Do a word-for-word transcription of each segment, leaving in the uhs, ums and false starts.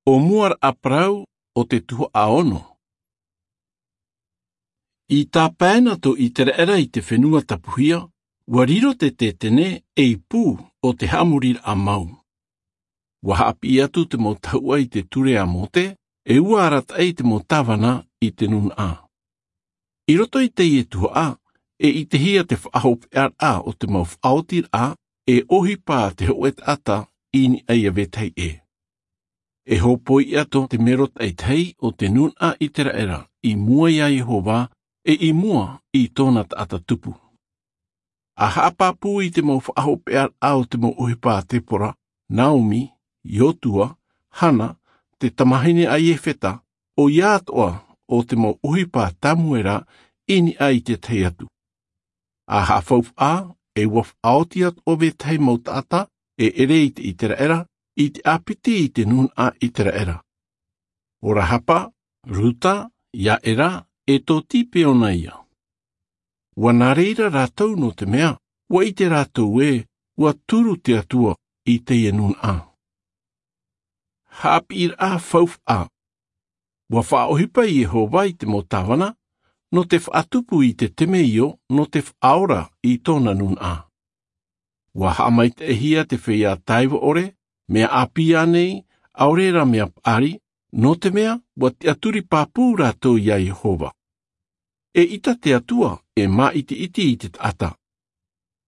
ʻO mua raʻa parau o te tuhaʻa ono. I tāpae na tō Iteraera i te fenua tapuhia, ua riro te tētene ei pū o te haʻamoriraʻa mau. Ua haʻapiʻi atu te mau tahuʻa i te ture a Mōte, e ua arataʻi te mau tāvana i te nūnaʻa. I roto i teie tuhaʻa, e ʻitehia te faʻahopeʻaraʻa o te mau faʻaotiraʻa e ʻohipa te hōʻē taʻata i niʻa ia vetahi ʻē. E hōpoi atu te mero taʻitahi o te nūnaʻa Iteraera i mua ia Iehova, e i mua i tōna taʻata tupu. A haʻapāpū i te mau faʻahopeʻaraʻa o te mau ʻohipa a Tepora, Naomi, Iotua, Hana, te tamahine a Iefeta, ʻoia atoʻa o te mau ʻohipa a Tamuera i niʻa i te tahi atu. A haʻafaufaʻa, e ua faʻaoti atu ʻo vetahi mau taʻata e ʻere i te Iteraera, i te ʻāpiti i te nūnaʻa Iteraera. ʻO Rahapa, Ruta, Iaera, e tō Tipeona ia. Ua nā reira rātou nō te mea, ua ʻite rātou ē, ua turu te Atua i teie nūnaʻa. Haʻapiʻiraʻa faufaʻa. Ua faʻaʻohipa Iehova i te mau tāvana, nō te faʻatupu i te temeio, nō te faʻaora i tōna nūnaʻa. Ua haʻamaitaʻihia te feiā taiva ʻore, mea ʻāpī ānei, ʻaore rā mea paʻari, nō te mea, ua tiʻaturi pāpū rātou ia Iehova. E ʻita te Atua, e māʻitiʻiti i te taʻata.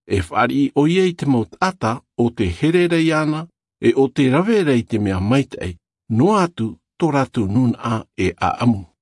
E fāriʻi ʻoia i te mau taʻata o te here ra iāna, e o te rave ra i te mea maitaʻi, noa atu tō rātou nūnaʻa e ʻaʻamu.